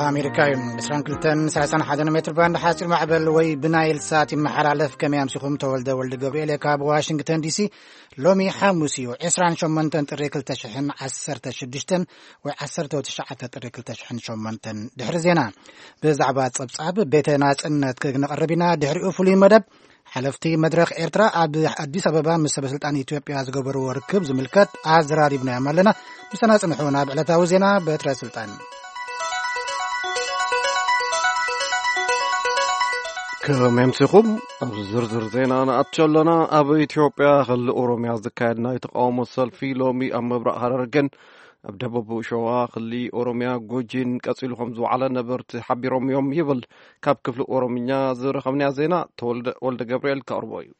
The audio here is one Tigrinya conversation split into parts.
ኣሜሪካ እዩ። ዕስራን ክልተን ሰላሳን ሓደን ሜትር ባንድ ሓፂር ማዕበል ወይ ብናይል ሳት ይመሓላለፍ። ከመይ ኣምሲኹም? ተወልደ ወልደ ገብርኤል እየ ካብ ዋሽንግተን ዲሲ። ሎሚ ሓሙስ እዩ፣ ዕስራን ሸሞንተን ጥሪ ክልተ ሽሕን ዓሰርተ ሽዱሽተን ወይ ዓሰርተ ትሽዓተ ጥሪ ክልተ ሽሕን ሸሞንተን። ድሕሪ ዜና ብዛዕባ ጸብጻብ ቤተ ናጽነት ክነቕርብ ኢና። ድሕሪኡ ፍሉይ መደብ ሓለፍቲ መድረኽ ኤርትራ ኣብ ኣዲስ ኣበባ ምስ ሰበ ስልጣን ኢትዮጵያ ዝገበርዎ ርክብ ዝምልከት ኣዘራሪብናዮም ኣለና። ምሳና ጽንሑ። ናብ ዕለታዊ ዜና በትረ ስልጣን። ከመይ ኣምሲኹም? ኣብ ዝርዝር ዜና ንኣቱ ኣለና። ኣብ ኢትዮጵያ ክልል ኦሮምያ ዝካየድ ናይ ተቃውሞ ሰልፊ ሎሚ ኣብ ምብራቕ ሃረርገን ኣብ ደቡብ ሸዋ ክልል ኦሮምያ ጉጂን ቀጺሉ ከም ዝወዓለ ነበርቲ ሓቢሮም እዮም ይብል ካብ ክፍሊ ኦሮምኛ ዝረኸብናዮ ዜና ተወልደ ወልደ ገብርኤል ከቕርቦ እዩ።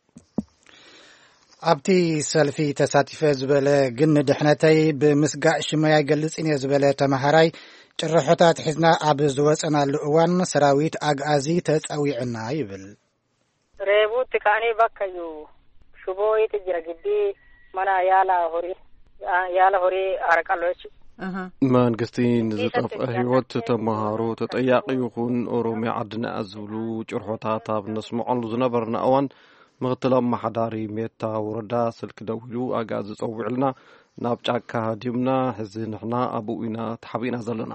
ኣብቲ ሰልፊ ተሳቲፈ ዝበለ ግን ንድሕነተይ ብምስጋእ ሽመይ ኣይገልጽን እየ ዝበለ ተማሃራይ፣ ጭርሖታት ሒዝና ኣብ ዝወጸናሉ እዋን ሰራዊት ኣግኣዚ ተጸዊዕና ይብል። Reebuutti kaanee bakka iyyuu shuboo wayita jira giddii mana yaala horii, yaala horii haraqalloo jechuudha. መንግስቲ ንዝጠፍአ ህይወት ተመሃሮ ተጠያቂ ይኹን ኦሮሚያ ዓድና ዝብሉ ጭርሖታት ኣብ ነስምዖሉ ዝነበርና እዋን፣ ምክትል ኣመሓዳሪ ሜታ ወረዳ ስልኪ ደዊሉ ኣግኣዚ ጸዊዕልና፣ ናብ ጫካ ሃዲምና፣ ሕዚ ንሕና ኣብኡ ኢና ተሓቢእና ዘለና።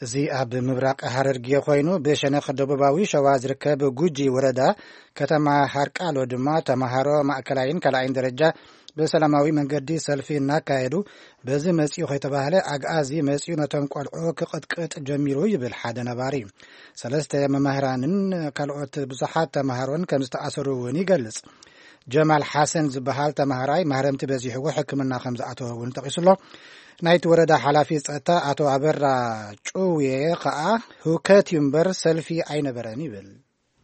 እዚ ኣብ ምብራቕ ሃረርጌ ኮይኑ፣ ብሸነኽ ደቡባዊ ሸዋ ዝርከብ ጉጂ ወረዳ ከተማ ሃርቃሎ ድማ ተማሃሮ ማእከላይን ካልኣይን ደረጃ ብሰላማዊ መንገዲ ሰልፊ እናካየዱ፣ በዚ መጺኡ ከይተባህለ ኣግኣዚ መጺኡ ነቶም ቆልዑ ክቕጥቅጥ ጀሚሩ ይብል ሓደ ነባሪ። ሰለስተ መምህራንን ካልኦት ብዙሓት ተማሃሮን ከም ዝተኣሰሩ እውን ይገልጽ። ጀማል ሓሰን ዝበሃል ተማሃራይ ማህረምቲ በዚሕዎ ሕክምና ከም ዝኣተወ እውን ጠቒሱ ኣሎ። ናይቲ ወረዳ ሓላፊ ጸጥታ ኣቶ ኣበራ ጩውየ ከኣ፣ ህውከት እዩ እምበር ሰልፊ ኣይነበረን ይብል።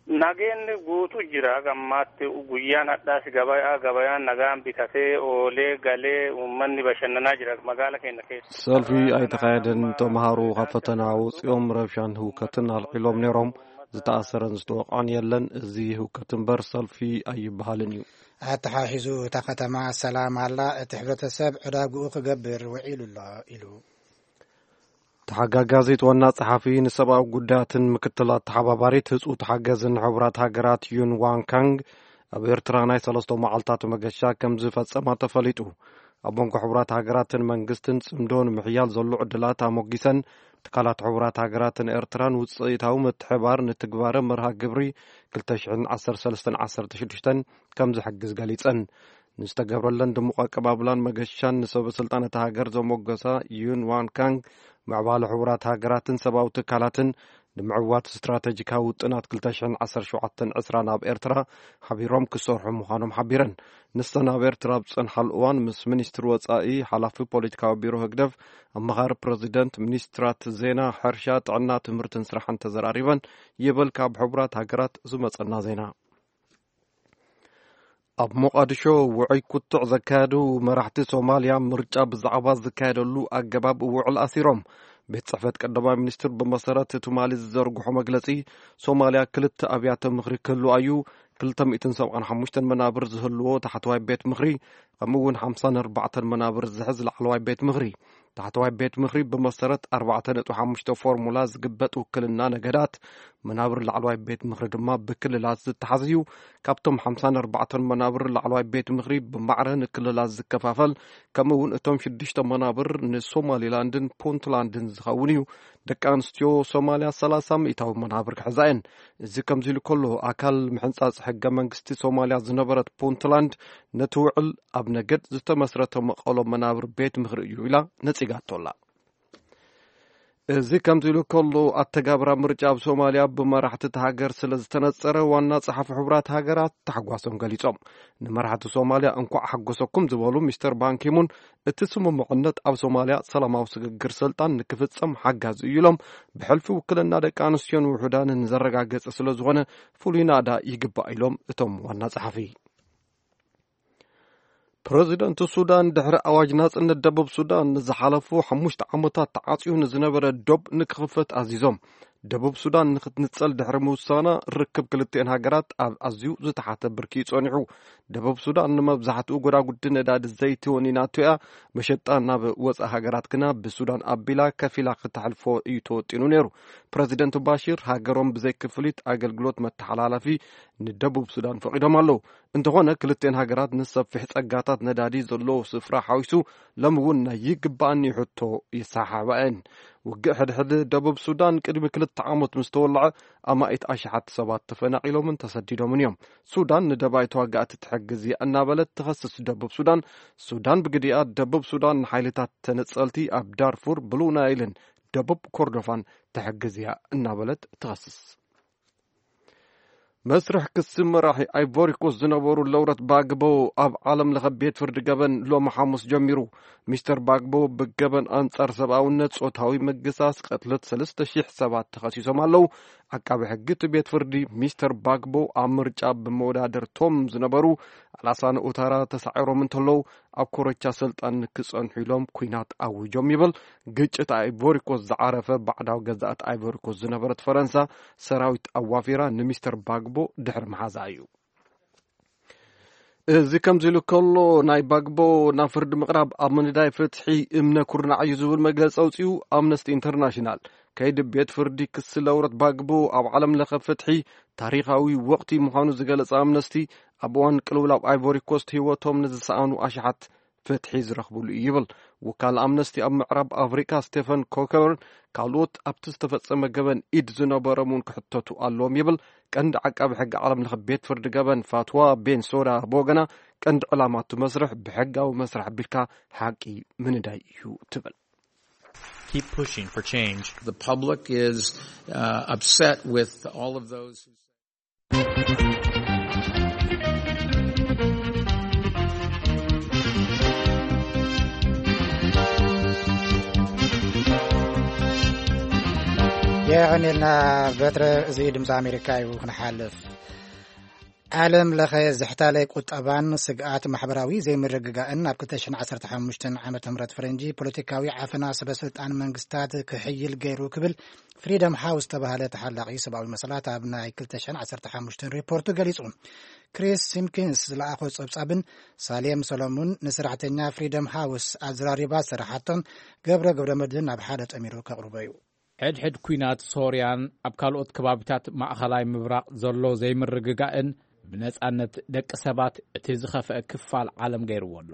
Nageenni guutu jira. Gammaatti guyyaan hadhaas gabayaa, gabayaan nagaan bitatee oolee galee uummanni bashannanaa jira magaala keenya keessa. ሰልፊ ኣይተኻየደን። ተምሃሮ ካብ ፈተና ወፂኦም ረብሻን ህውከትን ኣልዒሎም ነይሮም። ዝተኣሰረን ዝተወቕዐን የለን። እዚ ህውከት እምበር ሰልፊ ኣይበሃልን እዩ። ኣተሓሒዙ እታ ከተማ ሰላም ኣላ፣ እቲ ሕብረተሰብ ዕዳግኡ ክገብር ውዒሉ ኣሎ ኢሉ። ተሓጋጋዚት ዋና ጸሓፊ ንሰብኣዊ ጉዳያትን ምክትል ኣተሓባባሪት ህጹ ተሓገዝን ሕቡራት ሃገራት ዩን ዋን ካንግ ኣብ ኤርትራ ናይ ሰለስተ መዓልታት መገሻ ከም ዝፈጸማ ተፈሊጡ። ኣብ መንጎ ሕቡራት ሃገራትን መንግስትን ጽምዶ ንምሕያል ዘሎ ዕድላት ኣሞጊሰን፣ ትካላት ሕቡራት ሃገራትን ኤርትራን ውጽኢታዊ ምትሕባር ንትግባረ መርሃ ግብሪ ክልተ ሽሕን ዓሰርተ ሰለስተን ዓሰርተ ሽዱሽተን ከም ዝሕግዝ ገሊጸን። ንዝተገብረለን ድሙቕ ኣቀባብላን መገሻን ንሰበ ስልጣን እታ ሃገር ዘሞገሳ ዩን ዋን ካንግ፣ ምዕባለ ሕቡራት ሃገራትን ሰብኣዊ ትካላትን ንምዕዋት ስትራተጂካዊ ውጥናት ክልተ ሽሕን ዓሰርተ ሸውዓተን ዕስራን ኣብ ኤርትራ ሓቢሮም ክሰርሑ ምዃኖም ሓቢረን። ንሰን ኣብ ኤርትራ ኣብ ዝጸንሓሉ እዋን ምስ ሚኒስትሪ ወጻኢ፣ ሓላፊ ፖለቲካዊ ቢሮ ህግደፍ፣ ኣማኻሪ ፕረዚደንት፣ ሚኒስትራት ዜና፣ ሕርሻ፣ ጥዕና፣ ትምህርትን ስራሕን ተዘራሪበን ይብል ካብ ሕቡራት ሃገራት ዝመጸና ዜና። ኣብ ሞቓድሾ ውዑይ ክትዕ ዘካየዱ መራሕቲ ሶማልያ፣ ምርጫ ብዛዕባ ዝካየደሉ ኣገባብ ውዕል ኣሲሮም። ቤት ጽሕፈት ቀዳማይ ሚኒስትር ብመሰረት ትማሊ ዝዘርግሖ መግለጺ፣ ሶማልያ ክልተ ኣብያተ ምኽሪ ክህልዋ እዩ። ክልተ ሚእትን ሰብዓን ሓሙሽተን መናብር ዝህልዎ ታሕተዋይ ቤት ምኽሪ፣ ከምኡ እውን ሓምሳን ኣርባዕተን መናብር ዝሕዝ ላዕለዋይ ቤት ምኽሪ። ታሕተዋይ ቤት ምኽሪ ብመሰረት ኣርባዕተ ነጥቢ ሓሙሽተ ፎርሙላ ዝግበጥ ውክልና ነገዳት፣ መናብር ላዕለዋይ ቤት ምኽሪ ድማ ብክልላት ዝተሓዝ እዩ። ካብቶም ሓምሳን ኣርባዕተን መናብር ላዕለዋይ ቤት ምኽሪ ብማዕረ ንክልላት ዝከፋፈል፣ ከምኡ እውን እቶም ሽዱሽተ መናብር ንሶማሊላንድን ፑንትላንድን ዝኸውን እዩ። ደቂ ኣንስትዮ ሶማልያ ሰላሳ ሚእታዊ መናብር ክሕዛ እየን። እዚ ከምዚ ኢሉ ከሎ፣ ኣካል ምሕንጻጽ ሕገ መንግስቲ ሶማልያ ዝነበረት ፑንትላንድ ነቲ ውዕል ኣብ ነገድ ዝተመስረተ መቐሎ መናብር ቤት ምኽሪ እዩ ኢላ ነጺጋቶ ኣላ። እዚ ከምዚ ኢሉ ከሎ፣ ኣተጋብራ ምርጫ ኣብ ሶማልያ ብመራሕቲ እታ ሃገር ስለ ዝተነጸረ፣ ዋና ጸሓፊ ሕቡራት ሃገራት ታሕጓሶም ገሊጾም። ንመራሕቲ ሶማልያ እንኳዕ ሓጎሰኩም ዝበሉ ሚስተር ባንኪሙን፣ እቲ ስምምዕነት ኣብ ሶማልያ ሰላማዊ ስግግር ስልጣን ንክፍጸም ሓጋዚ እዩ ኢሎም፣ ብሕልፊ ውክልና ደቂ ኣንስትዮን ውሑዳንን ዘረጋገጸ ስለ ዝኾነ ፍሉይ ናእዳ ይግባእ ኢሎም እቶም ዋና ጸሓፊ። ፕረዚደንት ሱዳን ድሕሪ ኣዋጅ ናጽነት ደቡብ ሱዳን ንዝሓለፉ ሓሙሽተ ዓመታት ተዓጽዩ ንዝነበረ ዶብ ንክኽፈት ኣዚዞም። ደቡብ ሱዳን ንክትንጸል ድሕሪ ምውሳና፣ ርክብ ክልቲኤን ሃገራት ኣብ ኣዝዩ ዝተሓተ ብርኪ እዩ ጸኒሑ። ደቡብ ሱዳን ንመብዛሕትኡ ጎዳጉዲ ነዳዲ ዘይቲ ወኒናቶ እያ። መሸጣ ናብ ወጻኢ ሃገራት ግና ብሱዳን ኣቢላ ከፊላ ክተሕልፎ እዩ ተወጢኑ ነይሩ። ፕረዚደንት ባሺር ሃገሮም ብዘይ ክፍሊት ኣገልግሎት መተሓላለፊ ንደቡብ ሱዳን ፈቒዶም ኣለዉ። እንተኾነ፣ ክልቲኤን ሃገራት ንሰፊሕ ጸጋታት ነዳዲ ዘለዎ ስፍራ ሓዊሱ፣ ሎሚ እውን ናይ ይግባኣኒ ሕቶ ይሰሓሓባ እየን። ውግእ ሕድሕድ ደቡብ ሱዳን ቅድሚ ክልተ ዓመት ምስ ተወልዐ፣ ኣማኢት ኣሽሓት ሰባት ተፈናቒሎምን ተሰዲዶምን እዮም። ሱዳን ንደባይ ተዋጋእቲ ትሕግዝ እያ እናበለት ትኸስስ ደቡብ ሱዳን፣ ሱዳን ብግዲኣ ደቡብ ሱዳን ንሓይልታት ተነጸልቲ ኣብ ዳርፉር፣ ብሉ ናይልን ደቡብ ኮርዶፋን ትሕግዝ እያ እናበለት ትኸስስ። መስርሕ ክሲ መራሒ ኣይቮሪኮስ ዝነበሩ ለውረት ባግቦ ኣብ ዓለም ለኸ ቤት ፍርዲ ገበን ሎሚ ሓሙስ ጀሚሩ። ሚስተር ባግቦ ብገበን ኣንጻር ሰብኣውነት፣ ጾታዊ ምግሳስ፣ ቅትለት ሰለስተ ሺሕ ሰባት ተኸሲሶም ኣለዉ። ዓቃቢ ሕጊ እቲ ቤት ፍርዲ፣ ሚስተር ባግቦ ኣብ ምርጫ ብመወዳደርቶም ዝነበሩ ኣላሳን ኡታራ ተሳዒሮም እንተለዉ፣ ኣብ ኮረቻ ስልጣን ክጸንሑ ኢሎም ኲናት ኣዊጆም ይብል። ግጭት ኣይቮሪኮስ ዝዓረፈ ባዕዳዊ ገዛእቲ ኣይቮሪኮስ ዝነበረት ፈረንሳ ሰራዊት ኣዋፊራ ንሚስተር ባግቦ ድሕሪ ምሓዛ እዩ። እዚ ከምዚ ኢሉ ከሎ፣ ናይ ባግቦ ናብ ፍርዲ ምቕራብ ኣብ ምንዳይ ፍትሒ እምነ ኩርናዕ እዩ ዝብል መግለጺ ኣውጺኡ። ኣምነስቲ ኢንተርናሽናል፣ ከይዲ ቤት ፍርዲ ክሲ ለውረት ባግቦ ኣብ ዓለም ለኸ ፍትሒ ታሪኻዊ ወቕቲ ምዃኑ ዝገለጸ ኣምነስቲ፣ ኣብ እዋን ቅልውላው ኣይቮሪ ኮስት ህይወቶም ንዝሰኣኑ ኣሽሓት ፍትሒ ዝረኽብሉ እዩ ይብል። ውካል ኣምነስቲ ኣብ ምዕራብ ኣፍሪካ ስቴፈን ኮከርን ካልኦት ኣብቲ ዝተፈጸመ ገበን ኢድ ዝነበሮም እውን ክሕተቱ ኣለዎም ይብል። ቀንዲ ዓቃቢ ሕጊ ዓለም ለኸ ቤት ፍርዲ ገበን ፋትዋ ቤን ሶዳ ብወገና፣ ቀንዲ ዕላማ እቲ መስርሕ ብሕጋዊ መስርሕ ኣቢልካ ሓቂ ምንዳይ እዩ ትብል። Keep pushing for change. The public is uh, upset with all of those who የቐኒልና በትረ። እዚ ድምፂ ኣሜሪካ እዩ። ክንሓልፍ፣ ዓለም ለኸ ዝሕታለ ቁጠባን ስግኣት ማሕበራዊ ዘይምርግጋእን ኣብ ክልተ ሽሕን ዓሰርተ ሓሙሽተን ዓመተ ምህረት ፈረንጂ ፖለቲካዊ ዓፈና ሰበ ስልጣን መንግስታት ክሕይል ገይሩ ክብል ፍሪደም ሃውስ ዝተባህለ ተሓላቒ ሰብኣዊ መሰላት ኣብ ናይ ክልተ ሽሕን ዓሰርተ ሓሙሽተን ሪፖርቱ ገሊጹ። ክሪስ ሲምኪንስ ዝለኣኾ ጸብጻብን ሳሌም ሰሎሙን ንሰራሕተኛ ፍሪደም ሃውስ ኣዘራሪባ ዝሰራሓቶን ገብረ ገብረ መድህን ናብ ሓደ ጠሚሩ ከቕርቦ እዩ። ሕድሕድ ኲናት ሶርያን ኣብ ካልኦት ከባቢታት ማእኸላይ ምብራቕ ዘሎ ዘይምርግጋእን ብነጻነት ደቂ ሰባት እቲ ዝኸፍአ ክፋል ዓለም ገይርዎ ኣሎ።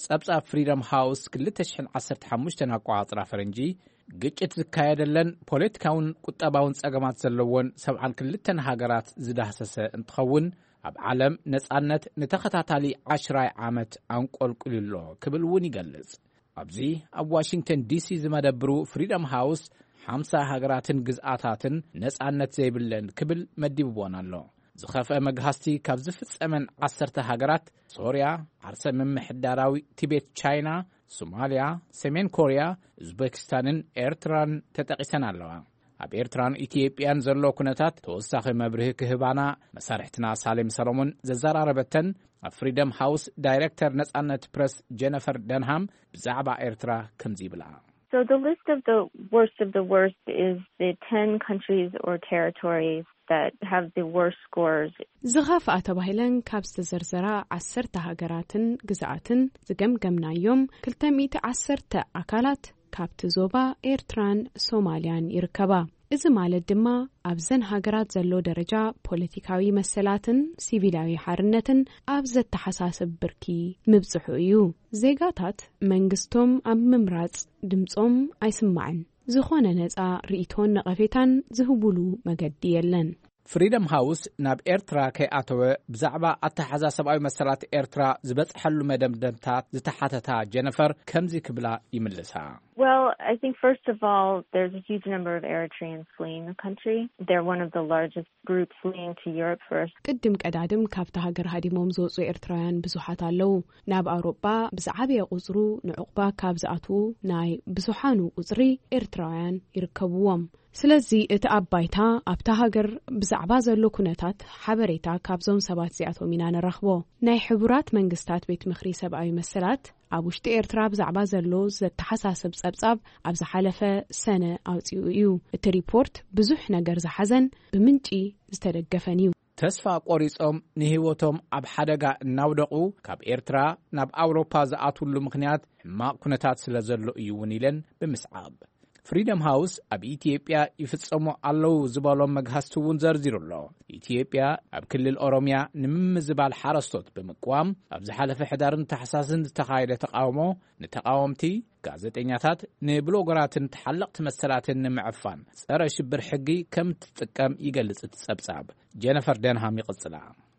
ጸብጻብ ፍሪደም ሃውስ ክልተ ሽሕን ዓሰርተ ሓሙሽተን ኣቆጻጽራ ፈረንጂ፣ ግጭት ዝካየደለን ፖለቲካውን ቁጠባውን ጸገማት ዘለዎን ሰብዓን ክልተን ሃገራት ዝዳህሰሰ እንትኸውን፣ ኣብ ዓለም ነጻነት ንተኸታታሊ ዓሽራይ ዓመት ኣንቆልቁሉ ኣሎ ክብል እውን ይገልጽ። ኣብዚ ኣብ ዋሽንግተን ዲሲ ዝመደብሩ ፍሪደም ሃውስ፣ ሓምሳ ሃገራትን ግዝኣታትን ነጻነት ዘይብለን ክብል መዲብዎን ኣሎ። ዝኸፍአ መግሃስቲ ካብ ዝፍጸመን ዓሰርተ ሃገራት፣ ሶርያ፣ ዓርሰ ምምሕዳራዊ ቲቤት ቻይና፣ ሶማልያ፣ ሰሜን ኮርያ፣ ኡዝቤኪስታንን ኤርትራን ተጠቒሰን ኣለዋ። ኣብ ኤርትራን ኢትዮጵያን ዘሎ ኩነታት ተወሳኺ መብርሂ ክህባና መሳርሕትና ሳሌም ሰሎሞን ዘዘራረበተን ኣብ ፍሪደም ሃውስ ዳይሬክተር ነጻነት ፕረስ ጀነፈር ደንሃም ብዛዕባ ኤርትራ ከምዚ ይብላ። So the list of the worst of the worst is the ten countries or territories that have the worst scores. ዝኸፍኣ ተባሂለን ካብ ዝተዘርዘራ ዓሰርተ ሃገራትን ግዝኣትን ዝገምገምናዮም ክልተ ሚእቲ ዓሰርተ ኣካላት ካብቲ ዞባ ኤርትራን ሶማልያን ይርከባ። እዚ ማለት ድማ ኣብዘን ሃገራት ዘሎ ደረጃ ፖለቲካዊ መሰላትን ሲቪላዊ ሓርነትን ኣብ ዘተሓሳስብ ብርኪ ምብጽሑ እዩ። ዜጋታት መንግስቶም ኣብ ምምራጽ ድምጾም ኣይስማዕን። ዝኾነ ነጻ ርእይቶን ነቐፌታን ዝህቡሉ መገዲ የለን። ፍሪደም ሃውስ ናብ ኤርትራ ከይኣተወ ብዛዕባ ኣተሓዛ ሰብኣዊ መሰላት ኤርትራ ዝበጽሐሉ መደምደምታት ዝተሓተታ ጀነፈር ከምዚ ክብላ ይምልሳ። Well, I think first of all, there's a huge number of Eritreans fleeing the country. They're one of the largest groups fleeing to Europe first. ቅድም ቀዳድም ካብታ ሃገር ሃዲሞም ዝወጹ ኤርትራውያን ብዙሓት ኣለዉ። ናብ ኣውሮጳ ብዝዓበየ ቁጽሩ ንዕቑባ ካብ ዝኣትዉ ናይ ብዙሓኑ ቁጽሪ ኤርትራውያን ይርከብዎም። ስለዚ እቲ ኣብ ባይታ ኣብታ ሃገር ብዛዕባ ዘሎ ኩነታት ሓበሬታ ካብዞም ሰባት እዚኣቶም ኢና ንረኽቦ። ናይ ሕቡራት መንግስታት ቤት ምኽሪ ሰብኣዊ መሰላት ኣብ ውሽጢ ኤርትራ ብዛዕባ ዘሎ ዘተሓሳስብ ጸብጻብ ኣብ ዝሓለፈ ሰነ ኣውጺኡ እዩ። እቲ ሪፖርት ብዙሕ ነገር ዝሓዘን ብምንጪ ዝተደገፈን እዩ። ተስፋ ቆሪጾም ንህይወቶም ኣብ ሓደጋ እናውደቑ ካብ ኤርትራ ናብ ኣውሮፓ ዝኣትውሉ ምኽንያት ሕማቕ ኩነታት ስለ ዘሎ እዩ እውን ኢለን ብምስዓብ፣ ፍሪደም ሃውስ ኣብ ኢትዮጵያ ይፍጸሙ ኣለዉ ዝበሎም መግሃስቲ እውን ዘርዚሩ ኣሎ። ኢትዮጵያ ኣብ ክልል ኦሮሚያ ንምምዝባል ሓረስቶት ብምቅዋም ኣብ ዝሓለፈ ሕዳርን ታሕሳስን ዝተኻየደ ተቃውሞ ንተቃወምቲ፣ ጋዜጠኛታት፣ ንብሎገራትን ተሓለቕቲ መሰላትን ንምዕፋን ጸረ ሽብር ሕጊ ከም ትጥቀም ይገልጽ እቲ ጸብጻብ። ጀነፈር ደንሃም ይቕጽላ።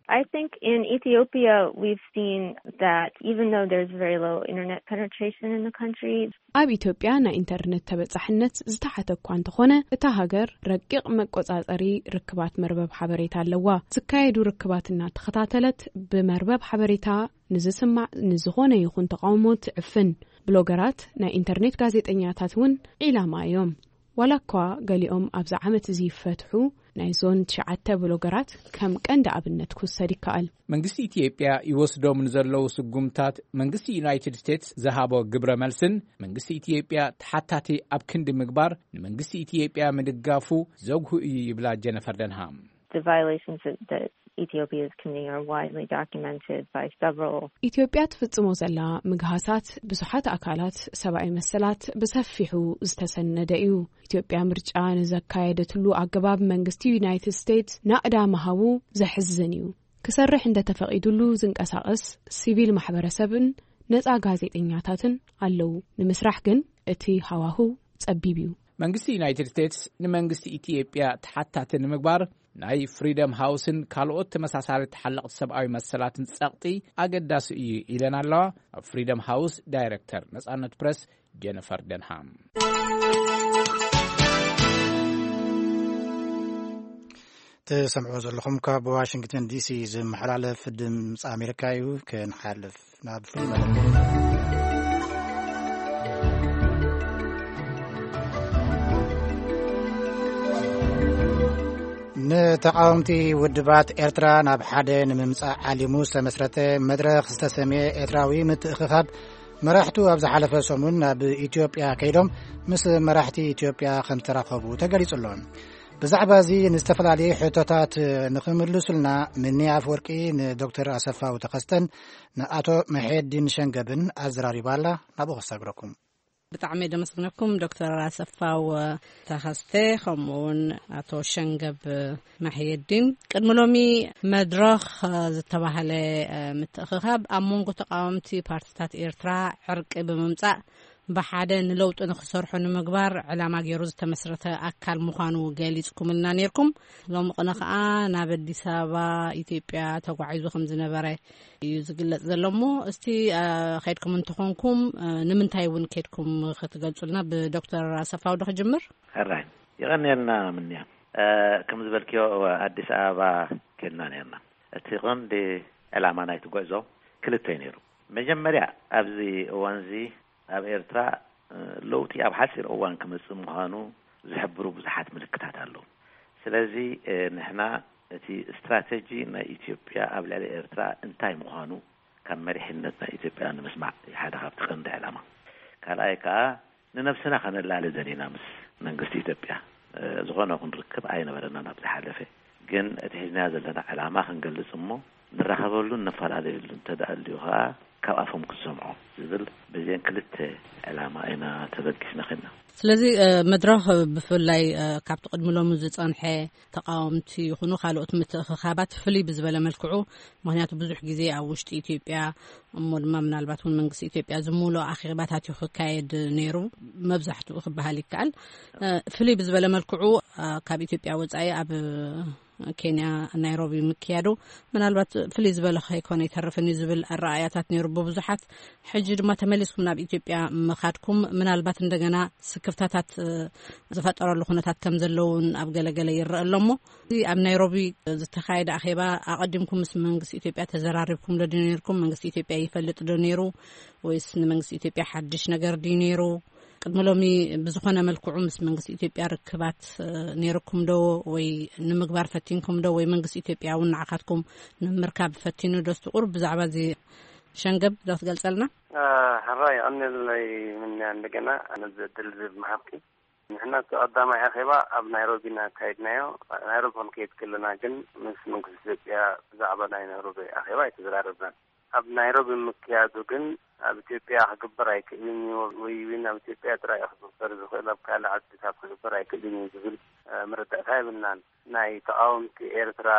I think in Ethiopia, we've seen that even though there's very low internet penetration in the country, ኣብ ኢትዮጵያ ናይ ኢንተርነት ተበጻሕነት ዝተሓተ እኳ እንተኾነ፣ እታ ሃገር ረቂቕ መቆጻጸሪ ርክባት መርበብ ሓበሬታ ኣለዋ። ዝካየዱ ርክባት እናተኸታተለት ብመርበብ ሓበሬታ ንዝስማዕ ንዝኾነ ይኹን ተቃውሞ ትዕፍን። ብሎገራት፣ ናይ ኢንተርኔት ጋዜጠኛታት እውን ዒላማ እዮም። ዋላ እኳ ገሊኦም ኣብዚ ዓመት እዚ ይፈትሑ፣ ናይ ዞን ትሽዓተ ብሎገራት ከም ቀንዲ ኣብነት ክውሰድ ይከኣል። መንግስቲ ኢትዮጵያ ይወስዶም ንዘለዉ ስጉምታት መንግስቲ ዩናይትድ ስቴትስ ዝሃቦ ግብረ መልስን መንግስቲ ኢትዮጵያ ተሓታቲ ኣብ ክንዲ ምግባር ንመንግስቲ ኢትዮጵያ ምድጋፉ ዘጉህ እዩ ይብላ ጀነፈር ደንሃም። The violations that, that Ethiopia is committing are widely documented by several ኢትዮጵያ ትፍጽሞ ዘላ ምግሃሳት ብዙሓት ኣካላት ሰብኣዊ መሰላት ብሰፊሑ ዝተሰነደ እዩ። ኢትዮጵያ ምርጫ ንዘካየደትሉ ኣገባብ መንግስቲ ዩናይትድ ስቴትስ ናእዳ ምሃቡ ዘሕዝን እዩ። ክሰርሕ እንተተፈቒዱሉ ዝንቀሳቐስ ሲቪል ማሕበረሰብን ነጻ ጋዜጠኛታትን ኣለዉ። ንምስራሕ ግን እቲ ሃዋህው ጸቢብ እዩ። መንግስቲ ዩናይትድ ስቴትስ ንመንግስቲ ኢትዮጵያ ተሓታቲ ንምግባር ናይ ፍሪደም ሃውስን ካልኦት ተመሳሳሊ ተሓለቕቲ ሰብኣዊ መሰላትን ጸቕጢ ኣገዳሲ እዩ ኢለን ኣለዋ። ኣብ ፍሪደም ሃውስ ዳይሬክተር ነጻነት ፕረስ ጀነፈር ደንሃም። ትሰምዕዎ ዘለኹም ካብ ዋሽንግተን ዲሲ ዝመሓላለፍ ድምፂ ኣሜሪካ እዩ። ክንሓልፍ ናብ ፍሉይ መደብ። ንተቃወምቲ ውድባት ኤርትራ ናብ ሓደ ንምምጻእ ዓሊሙ ዝተመስረተ መድረኽ ዝተሰምየ ኤርትራዊ ምትእኽኻብ መራሕቱ ኣብ ዝሓለፈ ሰሙን ናብ ኢትዮጵያ ከይዶም ምስ መራሕቲ ኢትዮጵያ ከም ተራኸቡ ተገሊጹ ኣሎ። ብዛዕባ እዚ ንዝተፈላለየ ሕቶታት ንኽምልሱልና ምኒ ኣፍወርቂ ንዶክተር ኣሰፋው ተኸስተን ንኣቶ መሐየዲን ሸንገብን ኣዘራሪባ ኣላ። ናብኡ ከሳግረኩም። ብጣዕሚ ደመስግነኩም ዶክተር ኣሰፋው ተኸስተ፣ ከምኡ እውን ኣቶ ሸንገብ መሕየዲን። ቅድሚ ሎሚ መድረኽ ዝተባህለ ምትእኽኻብ ኣብ መንጎ ተቃወምቲ ፓርቲታት ኤርትራ ዕርቂ ብምምጻእ ብሓደ ንለውጢ ንክሰርሑ ንምግባር ዕላማ ገይሩ ዝተመስረተ ኣካል ምዃኑ ገሊጽኩምልና ነይርኩም። ሎሚ ቅነ ከኣ ናብ ኣዲስ ኣበባ ኢትዮጵያ ተጓዒዙ ከም ዝነበረ እዩ ዝግለጽ ዘሎ። እሞ እስቲ፣ እ፣ ከይድኩም እንተኾንኩም፣ እ፣ ንምንታይ እውን ከይድኩም ክትገልጹልና፣ ብዶክተር ኣሰፋው ዶ ክጅምር? ሕራይ፣ የቐንየልና ምንያ። እ፣ ከም ዝበልክዮ፣ ኣዲስ ኣበባ ከድና ነርና። እቲ ቐንዲ ዕላማ ናይቲ ጉዕዞ ክልተ እዩ ነይሩ። መጀመርያ፣ ኣብዚ እዋንዚ ኣብ ኤርትራ፣ እ፣ ለውጢ ኣብ ሓጺር እዋን ክመጽእ ምዃኑ ዝሕብሩ ብዙሓት ምልክታት ኣለዉ። ስለዚ፣ እ፣ ንሕና እቲ ስትራተጂ ናይ ኢትዮጵያ ኣብ ልዕሊ ኤርትራ እንታይ ምዃኑ ካብ መሪሕነት ናይ ኢትዮጵያ ንምስማዕ እዩ ሓደ ካብቲ ቀንዲ ዕላማ። ካልኣይ ከኣ ንነብስና ከነላሊ ደሊና ምስ መንግስቲ ኢትዮጵያ፣ እ፣ ዝኾነ ይኹን ርክብ ኣይነበረናን ኣብ ዝሓለፈ። ግን እቲ ሒዝናዮ ዘለና ዕላማ ክንገልጽ እሞ ንራኸበሉን ንፈላለየሉን እንተ ደኣ ኣልዩ ከኣ ካብ ኣፎም ክንሰምዖ ዝብል በዚአን ክልተ ዕላማ ኢና ተበጊስና ኸድና። ስለዚ፣ እ፣ መድረኽ ብፍላይ፣ እ፣ ካብቲ ቅድሚ ሎሚ ዝጸንሐ ተቃወምቲ ይኹኑ ካልኦት ምትእኽኻባት ፍልይ ብዝበለ መልክዑ፣ ምኽንያቱ ብዙሕ ግዜ ኣብ ውሽጢ ኢትዮጵያ እሞ ድማ ምናልባት እውን መንግስቲ ኢትዮጵያ ዝምልኦ ኣኼባታት እዩ ክካየድ ነይሩ፣ መብዛሕትኡ ክበሃል ይከኣል። እ፣ ፍልይ ብዝበለ መልክዑ፣ እ፣ ካብ ኢትዮጵያ ወጻኢ ኣብ ኬንያ ናይሮቢ ምክያዱ ምናልባት ፍልይ ዝበለ ከይኮነ ይተርፍን እዩ ዝብል ኣረኣእያታት ነይሩ ብብዙሓት። ሕጂ ድማ ተመሊስኩም ናብ ኢትዮጵያ ምኻድኩም ምናልባት እንደገና ስክፍታታት፣ እ፣ ዝፈጠረሉ ኩነታት ከም ዘለውን ኣብ ገለገለ ይረአ ኣሎ። እሞ እዚ ኣብ ናይሮቢ ዝተኻየደ ኣኼባ ኣቐዲምኩም ምስ መንግስቲ ኢትዮጵያ ተዘራሪብኩም ዶ ነይርኩም? መንግስቲ ኢትዮጵያ ይፈልጥ ዶ ነይሩ? ወይስ ንመንግስቲ ኢትዮጵያ ሓድሽ ነገር ድዩ ነይሩ? ቅድሚ ሎሚ ብዝኾነ መልክዑ ምስ መንግስቲ ኢትዮጵያ ርክባት፣ እ፣ ነይርኩም ዶ? ወይ ንምግባር ፈቲንኩም ዶ? ወይ መንግስቲ ኢትዮጵያ እውን ንዓኻትኩም ንምርካብ ፈቲኑ ዶ? ስትቑር ብዛዕባ እዚ ሸንገብ ዶ ክትገልጸልና? እ፣ ሕራይ፣ የቐንየለይ ምንያ እንደገና ነዚ ዕድል እዚ ብምሃብኪ። ንሕና እቲ ቀዳማይ ኣኼባ ኣብ ናይሮቢ ኢና ኣካይድናዮ። ናይሮቢ ክንከይድ ከለና ግን ምስ መንግስቲ ኢትዮጵያ ብዛዕባ ናይ ናይሮቢ ኣኼባ ኣይተዘራረብናን። ኣብ ናይሮቢ ምክያዱ ግን ኣብ ኢትዮጵያ ክግበር ኣይክእልን እዩ ወይ እውን ኣብ ኢትዮጵያ ጥራይ እዩ ክግበር ዝኽእል፣ ኣብ ካልእ ዓድታት ክግበር ኣይክእልን እዩ ዝብል፣ እ፣ መረዳእታ የብልናን። ናይ ተቓወምቲ ኤርትራ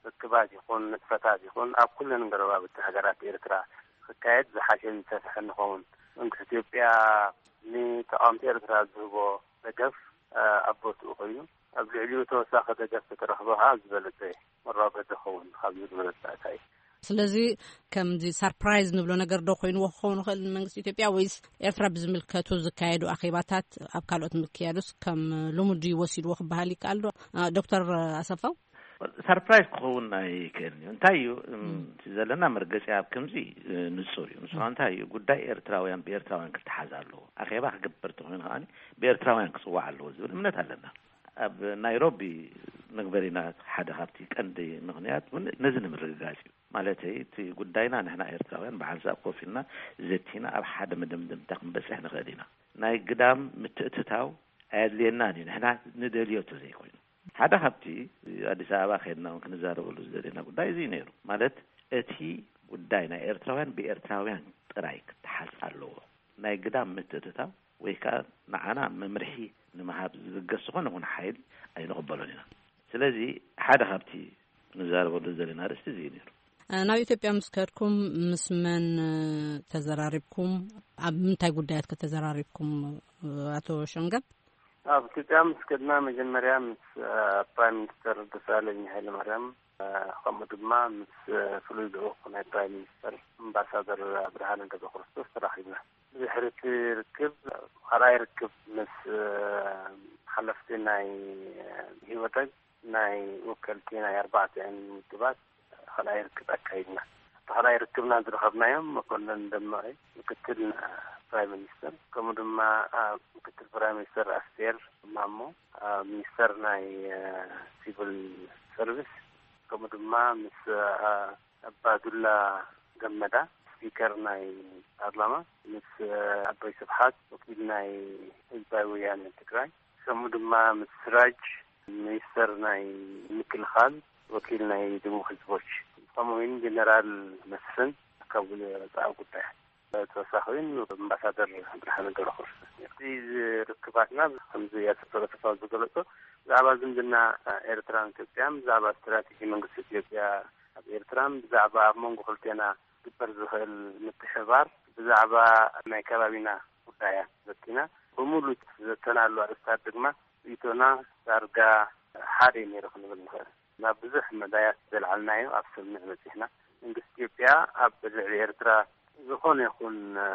ርክባት ይኹን ንጥፈታት ይኹን ኣብ ኩለን ጎረባብቲ ሃገራት ኤርትራ ክካየድ ዝሓሸን ዝሰፍሐን ይኸውን። መንግስቲ ኢትዮጵያ ንተቓወምቲ ኤርትራ ዝህቦ ደገፍ፣ እ፣ ኣብ ቦትኡ ኮይኑ ኣብ ልዕሊኡ ተወሳኺ ደገፍ ተተረኽበ ከዓ ዝበለጸ መራጎ ዝኸውን ካብ ዝብል መረዳእታ እዩ። ስለዚ ከምዚ ሰርፕራይዝ ንብሎ ነገር ዶ ኮይንዎ ክኸውን ይኽእል ንመንግስቲ ኢትዮጵያ፣ ወይስ ኤርትራ ብዝምልከቱ ዝካየዱ ኣኼባታት ኣብ ካልኦት ምክያዱስ ከም ልሙድ እዩ ወሲድዎ ክበሃል ይከኣል ዶ? እ፣ ዶክተር ኣሰፋው? ሰርፕራይዝ ክኸውን ኣይክእልን እዩ። እንታይ እዩ፣ እም፣ እቲ ዘለና መርገጺ ኣብ ከምዚ፣ እ፣ ንጹር እዩ። ንሱ እንታይ እዩ፣ ጉዳይ ኤርትራውያን ብኤርትራውያን ክተሓዝ ኣለዎ። ኣኼባ ክግበር ተኾይኑ ከኣ ብኤርትራውያን ክጽዋዕ ኣለዎ ዝብል እምነት ኣለና። ኣብ ናይሮቢ መግበሪና ሓደ ካብቲ ቀንዲ ምኽንያት እውን ነዚ ንምርግጋጽ እዩ። ማለተይ፣ እቲ ጉዳይና ንሕና ኤርትራውያን ብሓንሳብ ኮፍ ኢልና ዘቲና ኣብ ሓደ መደምደምታ ክንበጽሕ ንኽእል ኢና። ናይ ግዳም ምትእትታው ኣየድልየናን እዩ፣ ንሕና ንደልዮ እንተዘይኮይኑ። ሓደ ካብቲ ኣዲስ ኣበባ ከይድና እውን ክንዛረበሉ ዝደለና ጉዳይ እዚ እዩ ነይሩ። ማለት፣ እቲ ጉዳይ ናይ ኤርትራውያን ብኤርትራውያን ጥራይ ክተሓዝ ኣለዎ። ናይ ግዳም ምትእትታው ወይ ከኣ ንዓና መምርሒ ንምሃብ ዝብገስ ዝኾነ ይኹን ሓይሊ ኣይንቕበሎን ኢና። ስለዚ ሓደ ካብቲ ንዛረበሉ ዘለና ኣርእስቲ እዚ እዩ ነይሩ። እ፣ ናብ ኢትዮጵያ ምስ ከድኩም ምስ መን፣ እ፣ ተዘራሪብኩም? ኣብ ምንታይ ጉዳያት ከተዘራሪብኩም፣ እ፣ ኣቶ ሸንገብ? ኣብ ኢትዮጵያ ምስ ከድና መጀመርያ ምስ፣ እ፣ ፕራይም ሚኒስተር ደሳለኝ ሃይለማርያም፣ እ፣ ከምኡ ድማ ምስ፣ እ፣ ፍሉይ ልኡኽ ናይ ፕራይም ሚኒስተር ኣምባሳደር ብርሃነ ገብረክርስቶስ ተራኺብና። ብድሕሪ እቲ ርክብ፣ ካልኣይ ርክብ ምስ፣ እ፣ ሓለፍቲ ናይ፣ እ፣ ህወደግ ናይ ወከልቲ ናይ ኣርባዕቲአን ውድባት ካልኣይ ርክብ ኣካይድና። እቲ ካልኣይ ርክብና ዝረኸብናዮም መኮንን ደመቀ፣ ምክትል ፕራይም ሚኒስተር፣ ከምኡ ድማ፣ አ፣ ምክትል ፕራይም ሚኒስተር ኣስቴር ማሞ፣ አ፣ ሚኒስተር ናይ፣ አ፣ ሲቪል ሰርቪስ፣ ከምኡ ድማ ምስ፣ አ፣ ኣባዱላ ገመዳ፣ ስፒከር ናይ ፓርላማ፣ ምስ፣ አ፣ ኣቦይ ስብሓት፣ ወኪል ናይ ህዝባዊ ወያነ ትግራይ፣ ከምኡ ድማ ምስ ስራጅ፣ ሚኒስተር ናይ ምክልኻል፣ ወኪል ናይ ደቡብ ህዝቦች፣ ከምኡ እውን ጀነራል መስፍን ካብ ወፃኢ ጉዳይ፣ ተወሳኺ እውን ኣምባሳደር ብርሃነ ገብረክርስቶስ ነይሩ። እዚ ርክባትና ከምዚ ኣቶ ተፈራ ዝገለጾ ብዛዕባ ዝምድና ኤርትራን ኢትዮጵያን፣ ብዛዕባ ስትራቴጂ መንግስቲ ኢትዮጵያ ኣብ ኤርትራን፣ ብዛዕባ ኣብ መንጎ ክልቴና ክግበር ዝኽእል ምትሕብባር፣ ብዛዕባ ናይ ከባቢና ጉዳያት ዘቲና፣ ብምሉእ ዘተናሉ ኣርእስታት ድማ ርእይቶና ዳርጋ ሓደ እዩ ነይሩ ክንብል ንኽእል። ናብ ብዙሕ መዳያት ዘልዓልናዮ ኣብ ስምምዕ በጺሕና። መንግስቲ ኢትዮጵያ ኣብ ልዕሊ ኤርትራ ዝኾነ ይኹን፣ እ፣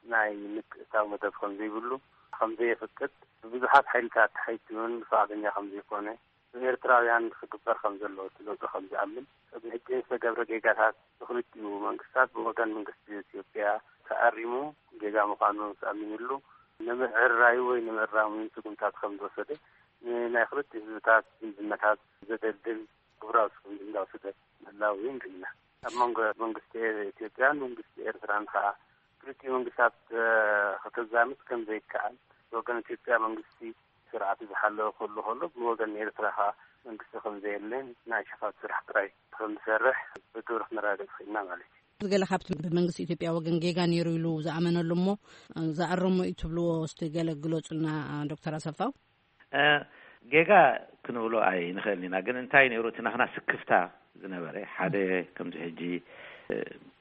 ናይ ምትእትታው መደብ ከም ዘይብሉ፣ ከም ዘየፍቅድ፣ ብብዙሓት ሓይልታት ተሓይቱ እውን ፍቓደኛ ከም ዘይኮነ፣ ብኤርትራውያን ክግበር ከም ዘለዎ እቲ ለውጢ ከም ዝኣምን፣ ቅድሚ ሕጂ ዝተገብረ ጌጋታት ብኽልቲኡ መንግስታት ብወገን መንግስቲ ኢትዮጵያ ተኣሪሙ ጌጋ ምዃኑ ተኣሚኑሉ፣ ንምዕራዩ ወይ ንምእራሙ ስጉምታት ከም ዝወሰደ፣ ንናይ ክልቲኡ ህዝብታት ዝምድናታት ዘደልድል ግብራዊ ስጉምቲ እንዳወሰደ ምህላው እዩ ንርኢ። ኣብ መንጎ መንግስቲ ኢትዮጵያን መንግስቲ ኤርትራን ከኣ ክልቲኡ መንግስታት፣ እ፣ ከተዛምድ ከም ዘይከኣል፣ ብወገን ኢትዮጵያ መንግስቲ ስርዓቱ ዝሓለወ ክህሉ ከሎ፣ ብወገን ኤርትራ ከኣ መንግስቲ ከም ዘየለን ናይ ሽፋት ስራሕ ጥራይ ከም ዝሰርሕ ብግብሪ ክነረጋግጽ ክኢልና ማለት እዩ። ገለ ካብቲ ብመንግስቲ ኢትዮጵያ ወገን ጌጋ ነይሩ ኢሉ ዝኣመነሉ እሞ ዝኣረሞ እዩ ትብልዎ እስቲ ገለ ግለጹልና ዶክተር ኣሰፋው። እ፣ ጌጋ ክንብሎ ኣይንኽእልን ኢና፣ ግን እንታይ ነይሩ እቲ ናትና ስክፍታ ዝነበረ ሓደ ከምዚ ሕጂ፣ እ፣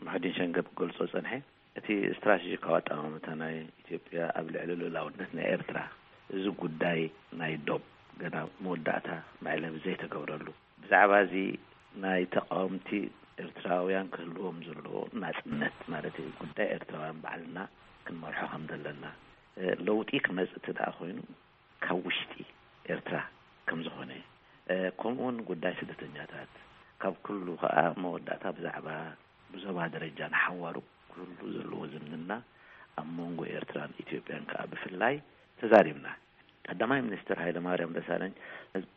ሙሕዲን ሸንገብ ክገልጾ ጸንሐ፣ እቲ ስትራቴጂካዊ ኣጠማምታ ናይ ኢትዮጵያ ኣብ ልዕሊ ልኡላውነት ናይ ኤርትራ፣ እዚ ጉዳይ ናይ ዶብ ገና መወዳእታ መዕለቢ ዘይተገብረሉ፣ ብዛዕባ እዚ ናይ ተቃወምቲ ኤርትራውያን ክህልዎም ዘለዎ ናጽነት፣ ማለት እዩ፣ ጉዳይ ኤርትራውያን ባዕልና ክንመርሖ ከም ዘለና፣ እ፣ ለውጢ ክመጽእ እቲ ደኣ ኮይኑ ካብ ውሽጢ ኤርትራ ከም ዝኾነ፣ እ፣ ከምኡውን ጉዳይ ስደተኛታት፣ ካብ ኩሉ ከኣ መወዳእታ ብዛዕባ ብዞባ ደረጃ ንሓዋሩ ክህሉ ዘለዎ ዝምድና ኣብ መንጎ ኤርትራን ኢትዮጵያን ከኣ ብፍላይ ተዛሪብና። ቀዳማይ ሚኒስትር ሃይለማርያም ደሳለኝ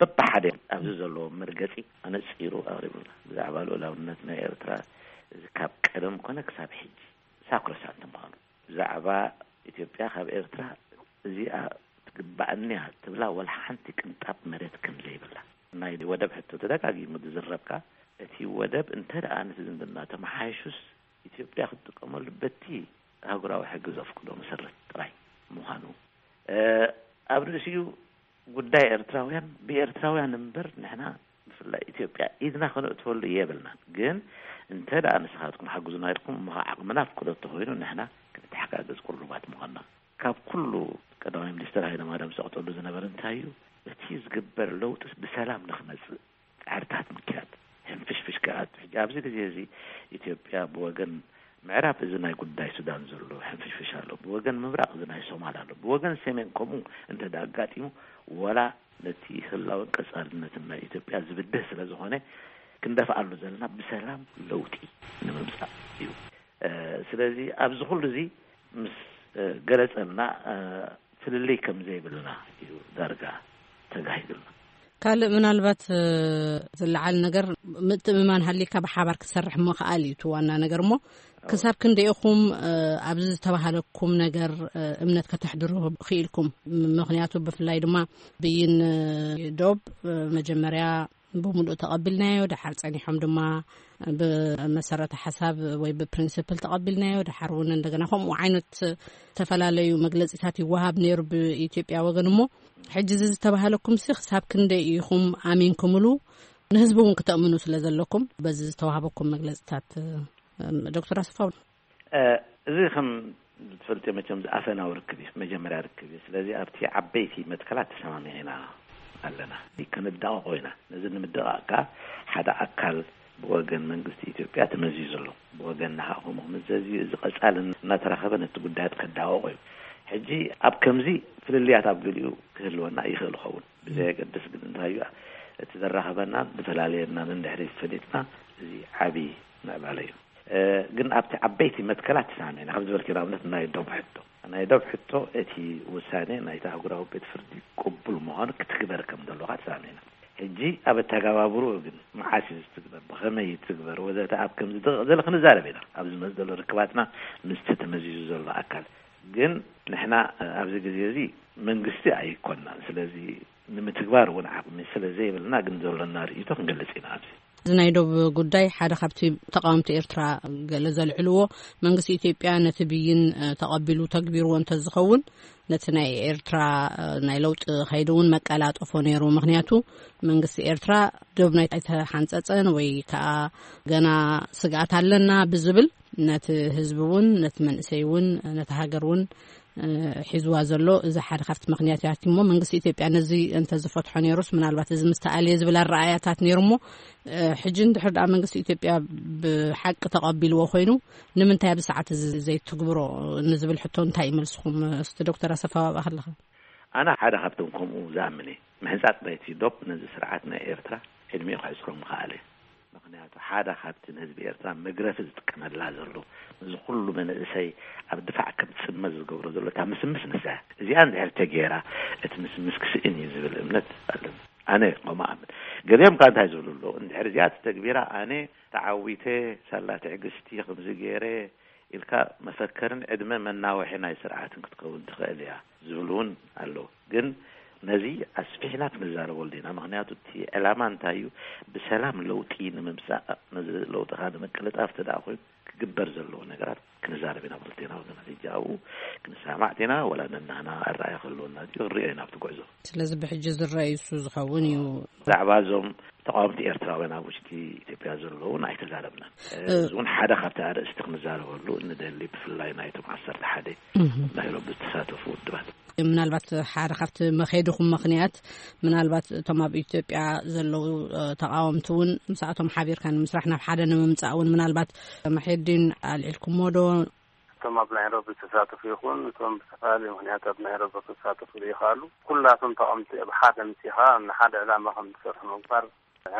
በብሓደ ኣብዚ ዘለዎ መርገጺ ኣነጺሩ ኣቕሪቡልና። ብዛዕባ ልኡላውነት ናይ ኤርትራ እዚ ካብ ቀደም ኮነ ክሳብ ሕጂ ሳክሮሳንት ምዃኑ፣ ብዛዕባ ኢትዮጵያ ካብ ኤርትራ እዚኣ ትግባኣኒ እያ ትብላ ወላ ሓንቲ ቅንጣብ መሬት ከም ዘይብላ፣ ናይ ወደብ ሕቶ ተደጋጊሙ ዝዝረብካ፣ እቲ ወደብ እንተ ደኣ ነቲ ዝምድና ተመሓይሹስ ኢትዮጵያ ክትጥቀመሉ በቲ ኣህጉራዊ ሕጊ ዘፍቅዶ መሰረት ጥራይ ምዃኑ፣ ኣብ ርእሲኡ ጉዳይ ኤርትራውያን ብኤርትራውያን እምበር ንሕና ብፍላይ ኢትዮጵያ ኢድና ከነእትወሉ የብልናን። ግን እንተ ደኣ ንስኻትኩም ሓግዙና ኢልኩም እሞ ዓቕምና ፍቅዶ እንተኾይኑ ንሕና ክንተሓጋገዝ ቅሩባት ምዃንና። ካብ ኩሉ ቀዳማይ ሚኒስትር ሃይለማርያም ዘቕጠሉ ዝነበረ እንታይ እዩ? እቲ ዝግበር ለውጢ ብሰላም ንክመጽእ ጻዕርታት ምክያድ፣ ሕንፍሽፍሽ ክኣቱ። ሕጂ ኣብዚ ግዜ እዚ ኢትዮጵያ ብወገን ምዕራብ እዚ ናይ ጉዳይ ሱዳን ዘሎ ሕንፍሽፍሽ ኣሎ፣ ብወገን ምብራቕ እዚ ናይ ሶማል ኣሎ፣ ብወገን ሰሜን ከምኡ እንተ ኣጋጢሙ ወላ ነቲ ህላወን ቀጻልነትን ናይ ኢትዮጵያ ዝብድህ ስለ ዝኾነ ክንደፍኣሉ ዘለና ብሰላም ለውጢ ንምምጻእ እዩ። ስለዚ ኣብዚ ኩሉ እዚ ምስ ገለጸልና ፍልልይ ከም ዘይብልና እዩ ዳርጋ ተጋሂዱልና። ካልእ ምናልባት ዝለዓል ነገር ምትእምማን ሃሊካ ብሓባር ክትሰርሕ ምኽኣል እዩ እቲ ዋና ነገር። እሞ ክሳብ ክንደይ ኢኹም ኣብዚ ዝተባህለኩም ነገር እምነት ከተሕድሩ ክኢልኩም? ምኽንያቱ ብፍላይ ድማ ብይን ዶብ መጀመርያ ብምሉእ ተቐቢልናዮ፣ ደሓር ጸኒሖም ድማ ብመሰረተ ሓሳብ ወይ ብፕሪንስፕል ተቐቢልናዮ፣ ደሓር እውን እንደገና ከምኡ ዓይነት ዝተፈላለዩ መግለጺታት ይወሃብ ነይሩ ብኢትዮጵያ ወገን። እሞ ሕጂ እዚ ዝተባህለኩም ሲ ክሳብ ክንደይ ኢኹም ኣሚንኩምሉ? ንህዝቢ እውን ክተእምኑ ስለ ዘለኩም በዚ ዝተዋህበኩም መግለጺታት። ዶክተር ኣሰፋው፣ እዚ ከም ትፈልጥዮ መቸም ኣፈናዊ ርክብ እዩ፣ መጀመርያ ርክብ እዩ። ስለዚ ኣብቲ ዓበይቲ መትከላት ተሰማሚዕና ኣለና፣ ከነዳቕቆ ኢና። ነዚ ንምድቓቕ ከኣ ሓደ ኣካል ብወገን መንግስቲ ኢትዮጵያ ተመዚዙ ኣሎ፣ ብወገንና ከኣ ከምኡ ክምዘዝ እዩ። እዚ ቀጻሊ እናተራኸበ ነቲ ጉዳያት ከዳቕቆ እዩ። ሕጂ ኣብ ከምዚ ፍልልያት ኣብ ገሊኡ ክህልወና ይኽእል ይኸውን፣ ብዘየገድስ ግን እንታይ እዩ እቲ ዘራኸበናን ዝፈላልየናን እንድሕሪ ፈሊጥና እዚ ዓቢ ምዕባለ እዩ። ግን ኣብቲ ዓበይቲ መትከላት ተሰማሚዕና፣ ከም ዝበልክዮ ንኣብነት ናይ ዶብ ሕቶ፣ ናይ ዶብ ሕቶ እቲ ውሳኔ ናይቲ ኣህጉራዊ ቤት ፍርዲ ቅቡል ምዃኑ ክትግበር ከም ዘለዋ ተሰማሚዕና። ሕጂ ኣብ ኣተገባብርኡ ግን መዓስ እዩ ዝትግበር፣ ብኸመይ ይትግበር ወዘተ ኣብ ከምዚ ደቂቕ ዘለ ክንዛረብ ኢና። ኣብ ዝመጽእ ዘሎ ርክባትና ምስቲ ተመዚዙ ዘሎ ኣካል ግን ንሕና ኣብዚ ግዜ እዚ መንግስቲ ኣይኮንናን። ስለዚ ንምትግባር እውን ዓቕሚ ስለ ዘይብልና ግን ዘሎና ርእይቶ ክንገልጽ ኢና ኣብዚ። እዚ ናይ ዶብ ጉዳይ ሓደ ካብቲ ተቃወምቲ ኤርትራ ገለ ዘልዕልዎ፣ መንግስቲ ኢትዮጵያ ነቲ ብይን ተቐቢሉ ተግቢርዎ እንተዝኸውን ነቲ ናይ ኤርትራ ናይ ለውጢ ከይዲ እውን መቀላጠፎ ነይሩ። ምኽንያቱ መንግስቲ ኤርትራ ዶብ ናይ ኣይተሓንጸጸን ወይ ከዓ ገና ስግኣት ኣለና ብዝብል ነቲ ህዝቢ እውን ነቲ መንእሰይ እውን ነቲ ሃገር እውን ሒዝዋ ዘሎ እዚ ሓደ ካብቲ ምኽንያት እያ። እሞ መንግስቲ ኢትዮጵያ ነዚ እንተዝፈትሖ ነይሩስ ምናልባት እዚ ምስተኣልየ ዝብል ኣረኣእያታት ነይሩ። እሞ ሕጂ እንድሕር ደኣ መንግስቲ ኢትዮጵያ ብሓቂ ተቐቢልዎ ኮይኑ ንምንታይ ኣብዚ ሰዓት እዚ ዘይትግብሮ ንዝብል ሕቶ እንታይ ይመልስኹም? እስቲ ዶክተር ኣሰፋ ኣብኣ ከለኻ። ኣነ ሓደ ካብቶም ከምኡ ዝኣምን እየ። ምሕንጻጽ ናይቲ ዶብ ነዚ ስርዓት ናይ ኤርትራ ዕድሚኡ ከሕጽሮ ምኽኣለ። ምኽንያቱ ሓደ ካብቲ ንህዝቢ ኤርትራ መግረፊ ዝጥቀመላ ዘሎ፣ ነዚ ኩሉ መንእሰይ ኣብ ድፋዕ ከም ዝጽመድ ዝገብሮ ዘሎ እታ ምስምስ ንሳ እያ። እዚኣ እንድሕር ተገይራ እቲ ምስምስ ክስእን እዩ ዝብል እምነት ኣለኒ። ኣነ ከምኡ ኣምን። ገሊኦም ከኣ እንታይ ዝብሉ ኣለዉ? እንድሕር እዚኣ ተተግቢራ ኣነ ተዓዊተ፣ ሳላ ትዕግስቲ ከምዚ ገይረ ኢልካ መፈከርን ዕድመ መናውሒ ናይ ስርዓትን ክትከውን ትኽእል እያ ዝብሉ እውን ኣለዉ። ግን ነዚ ኣስፊሕና ክንዛረበሉ ኢና። ምኽንያቱ እቲ ዕላማ እንታይ እዩ? ብሰላም ለውጢ ንምምጻእ፣ ነዚ ለውጢ ከኣ ንምቅልጣፍ እንተ ደኣ ኮይኑ ክግበር ዘለዎ ነገራት ክንዛረብ ኢና ብክልቴና ወገናት። ሕጂ ኣብኡ ክንሰማማዕ ዲና ወላ ነናህና ኣረኣእያ ክህልወና ድዩ ክንሪኦ ኢና ኣብቲ ጉዕዞ። ስለዚ ብሕጂ ዝረኣዩ እሱ ዝኸውን እዩ። ብዛዕባ እዞም ተቃወምቲ ኤርትራውያን ኣብ ውሽጢ ኢትዮጵያ ዘለዉ እውን ኣይተዛረብናን። እ- እዚ እውን ሓደ ካብቲ ኣርእስቲ ክንዛረበሉ እንደሊ፣ ብፍላይ ናይቶም ዓሰርተ ሓደ እህ። ናይሮቢ ዝተሳተፉ ውድባት። ምናልባት ሓደ ካብቲ መኸይድኹም ምኽንያት ምናልባት እቶም ኣብ ኢትዮጵያ ዘለዉ እ፣ ተቃወምቲ እውን ምስኣቶም ሓቢርካ ንምስራሕ ናብ ሓደ ንምምጻእ እውን ምናልባት መሐዲን ኣልዒልኩሞ ዶ? እቶም ኣብ ናይሮቢ ዝተሳተፉ ይኹን እቶም ብዝተፈላለዩ ምኽንያት ኣብ ናይሮቢ ክሳተፉ ዘይከኣሉ ኩላቶም ተቃወምቲ ብሓደ ኣምጺኻ ንሓደ ዕላማ ከም ዝሰርሑ ምግባር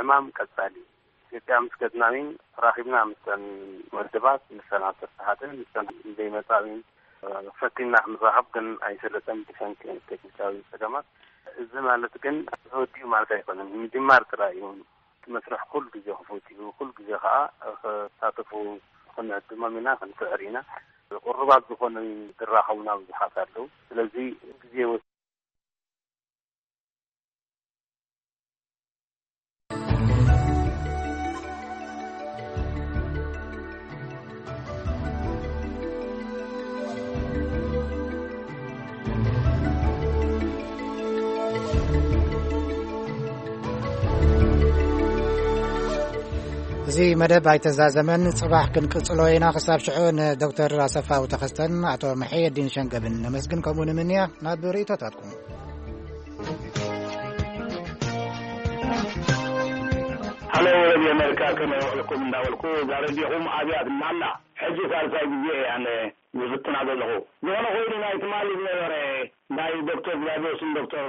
ዕማም ቀጻሊ እዩ። ኢትዮጵያ ምስ ገጽናዊን ተራኺብና ምስተን ውድባት፣ ምስተን ዓሰርተ ሓደ፣ ምስተን ዘይመጻዊን ፈቲና ክንራኸብ ግን ኣይሰለጠን ብሰንኪ ቴክኒካዊ ጸገማት። እዚ ማለት ግን ተወዲኡ ማለት ኣይኮነን፣ ምጅማር ጥራይ እዩ። እቲ መስርሕ ኩሉ ግዜ ክፉት እዩ። ኩሉ ግዜ ከዓ ክሳተፉ ክንዕድሞም ኢና፣ ክንስዕር ኢና። ቅሩባት ዝኾኑ ዝራኸቡና ብዙሓት ኣለዉ። ስለዚ ግዜ ወስ- እዚ መደብ ኣይተዛዘመን፣ ጽባሕ ክንቅጽሎ ኢና። ክሳብ ሽዑ ንዶክተር ኣሰፋው ተኸስተን ኣቶ መሐየዲን ሸንገብን ነመስግን፣ ከምኡ ንምንያ ናብ ርእይቶታትኩም። ሃሎ፣ ረድዮ ኣሜሪካ፣ ከመይ ውዕልኩም እንዳበልኩ፣ እዛ ረድዮኹም ኣብያ ትማላ። ሕጂ ሳልሳይ ግዜ እየ ኣነ ዝፍትና ዘለኹ። ዝኾነ ኮይኑ፣ ናይ ትማሊ ዝነበረ ናይ ዶክተር ግላድዮስን ዶክተር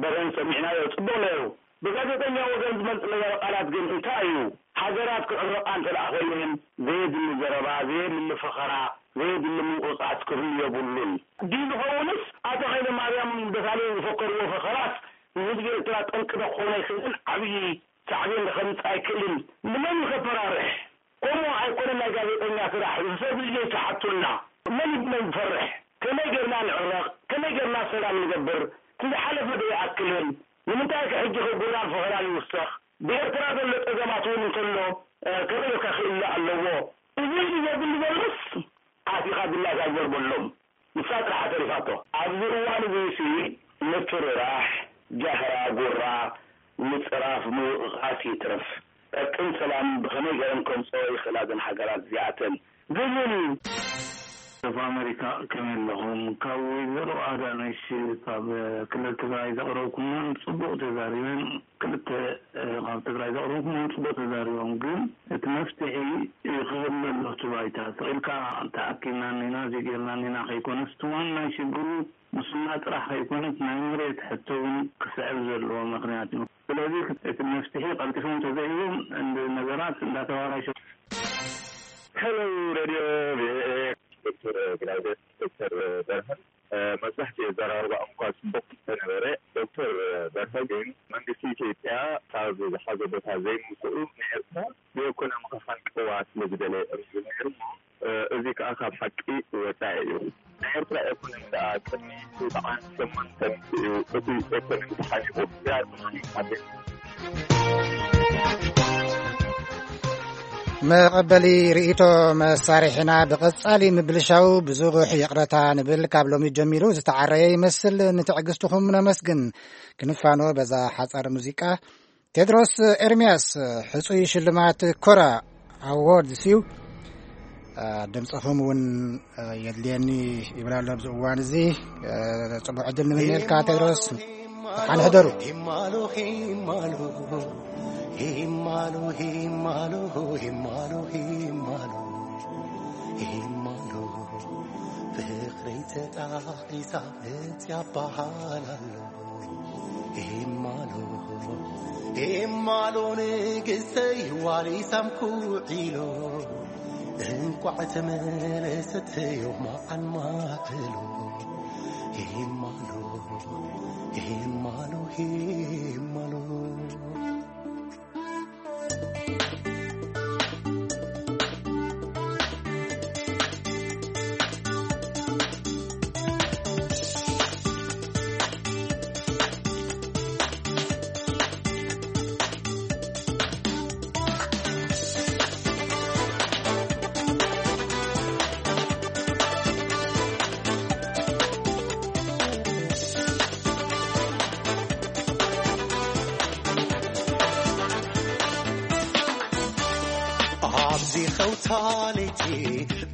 በርሀን ሰሚዕናዮ፣ ጽቡቕ ነይሩ። ብጋዜጠኛ ወገን ዝመጽእ ነበረ ቃላት ግን እንታይ እዩ? ሃገራት ክዕረቓ እንተ ደኣ ኮይነን፣ ዘየድሊ ዘረባ፣ ዘየድሊ ፈኸራ፣ ዘየድሊ ምንቁርጻስ ክህሉ የብሉን። ድዩ ዝኸውንስ፣ ኣቶ ሃይለማርያም ደሳለኝ ዝፈከርዎ ፈኸራት ንህዝቢ ኤርትራ ጠንቂ ዶ ክኾን ኣይክእልን? ዓብዪ ሳዕቤን ዶ ከምጽእ ኣይክእልን? ንመን እዩ ከፈራርሕ? ከምኡ ኣይኮነን ናይ ጋዜጠኛ ስራሕ፣ ዝሰብ ልጆች ትሓቱልና። መን እዩ ብመን ዝፈርሕ? ከመይ ጌርና ንዕረቕ? ከመይ ጌርና ሰላም ንገብር? እቲ ዝሓለፈ ዶ ይኣክልን? ንምንታይ ከ ሕጂ ከ ጎራን ፈኸራን ይውሰኽ? ብኤርትራ ዘሎ ጸገማት እውን እንተሎ፣ እ፣ ከመይ ጌርካ ክእለ ኣለዎ? እዚ ኢሉ ዘብል ዘሎስ ኣቲኻ ድላይካ ግበር በሎም። ንሳ ጥራሕ ተሪፋቶ። ኣብዚ እዋን እዚሲ ምፍርራሕ፣ ጃህራ፣ ጉራ፣ ምጽራፍ፣ ምውቕቓስ ይትረፍ። ዕርቅን ሰላምን ብኸመይ ገይረን ከምጽኦ ይኽእላ እዘን ሃገራት እዚኣተን? ዝብል እዩ። ካብ ኣሜሪካ ከመይ ኣለኹም? ካብ ወይዘሮ ኣዳነሽ ካብ ክልል ትግራይ ዘቕረብኩምናን ጽቡቕ ተዛሪበን። ክልተ ካብ ትግራይ ዘቕረብኩምናን ጽቡቕ ተዛሪቦም። ግን እቲ መፍትሒ ክህሉ ኣሎ እቲ ባይታ። ስቕ ኢልካ ተኣኪብና እኒና፣ እዚ ጌርና እኒና ከይኮነስ፣ እቲ ዋና ሽግሩ ሙስና ጥራሕ ከይኮነስ ናይ መሬት ሕቶ እውን ክስዕብ ዘለዎ ምኽንያት እዩ። ስለዚ እቲ መፍትሒ ቀልጢፎም ተዘይህቦም እንድ ነገራት እንዳተባላሸ ሄሎ ሬድዮ ቪኦኤ፣ ዶክተር ግላውዴስ፣ ዶክተር በርሀን መብዛሕትኡ ኣዘራርባኦም እኳ ጽቡቕ እንተነበረ፣ ዶክተር በርሀ ግን መንግስቲ ኢትዮጵያ ካብ ዝሓዞ ቦታ ዘይምውፅኡ ንኤርትራ ብኢኮኖሚ ክሃንቀዋ ስለ ዝደለየ እዮም ዝብል ነይሩ እሞ፣ እዚ ከኣ ካብ ሓቂ ወጻኢ እዩ። ናይ ኤርትራ ኢኮኖሚ ደኣ ቅድሚ ሰብዓን ሸሞንተን እዩ እቲ ኢኮኖሚ ተሓኒቑ። እዚኣ ተሓኒቑ ማለት እዩ። መቐበሊ ርእይቶ መሳርሒና ብቐጻሊ ምብልሻው ብዙሕ ይቕረታ ንብል። ካብ ሎሚ ጀሚሩ ዝተዓረየ ይመስል። ንትዕግስትኹም ነመስግን። ክንፋኖ በዛ ሓጻር ሙዚቃ። ቴድሮስ ኤርምያስ ሕጹይ ሽልማት ኮራ ኣዎርድስ እዩ። ድምጽኹም እውን የድልየኒ ይብል ኣሎ ኣብዚ እዋን እዚ። ጽቡቕ ዕድል ንምንየልካ ቴድሮስ። ደሓን ሕደሩ። ሂማሎ ሂማሎ ሂማሎ ሂማሎ ሂማሎ ሂማሎ ሂማሎ ሂማሎ ፍቕረይ ተጣሒሳ መጽያ በሃል ኣሎ። ሂማሎ ሂማሎ ንግስተይ ዋሊ ሳምኩ ዒሎ እንቋዕ ተመለሰት ዮም መዓን ማዕሎ። ሂማሎ ሂማሎ ሂማሎ ኣብዚ ኸውታ ለይቲ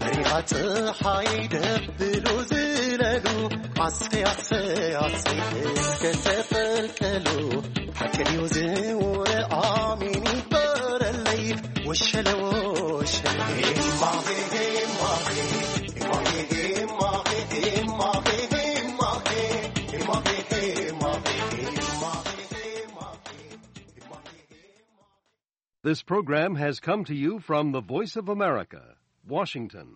በሪኻ ጸሓይ ደብሉ ዝለሉ ኣሰይ ኣሰይ ኣሰይ እስከ ተፈልቀሉ ሓቂ ድዩ ዝውረ ኣሜን ይበረለይ ወሸለ ወሸለ ሄማሄ ሄማሄ ሄማሄ ሄማሄ ሄማሄ ሄማሄ ሄማሄ ሄማሄ ሄማሄ ሄማሄ This program has come to you from the Voice of America, Washington.